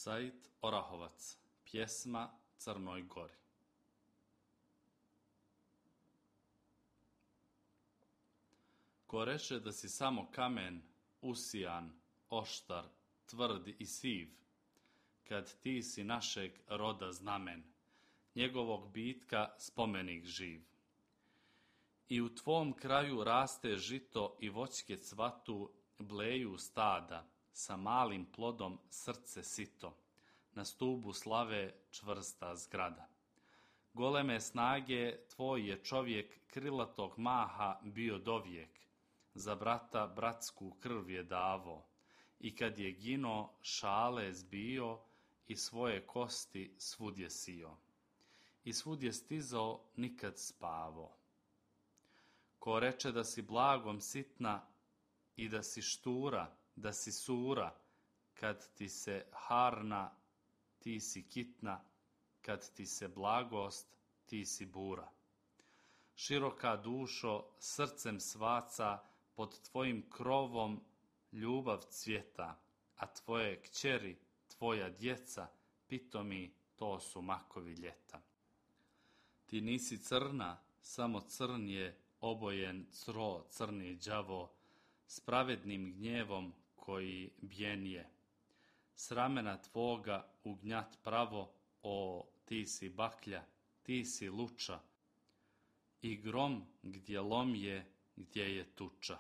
Said Orahovac, pjesma Crnoj Gori. Ko reče da si samo kamen, usijan, oštar, tvrd i siv, kad ti si našeg roda znamen, njegovog bitka spomenik živ. I u tvom kraju raste žito i voćke cvatu, bleju stada, sa malim plodom srce sito, na stubu slave čvrsta zgrada. Goleme snage tvoj je čovjek krilatog maha bio dovijek, za brata bratsku krv je davo, i kad je gino šale zbio i svoje kosti svud je sio. I svud je stizao nikad spavo. Ko reče da si blagom sitna i da si štura, da si sura, kad ti se harna, ti si kitna, kad ti se blagost, ti si bura. Široka dušo, srcem svaca, pod tvojim krovom ljubav cvjeta, a tvoje kćeri, tvoja djeca, pitomi, to su makovi ljeta. Ti nisi crna, samo crn je obojen cro crni đavo, s pravednim gnjevom koji bjen je. S ramena tvoga ugnjat pravo, o, ti si baklja, ti si luča, i grom gdje lom je, gdje je tuča.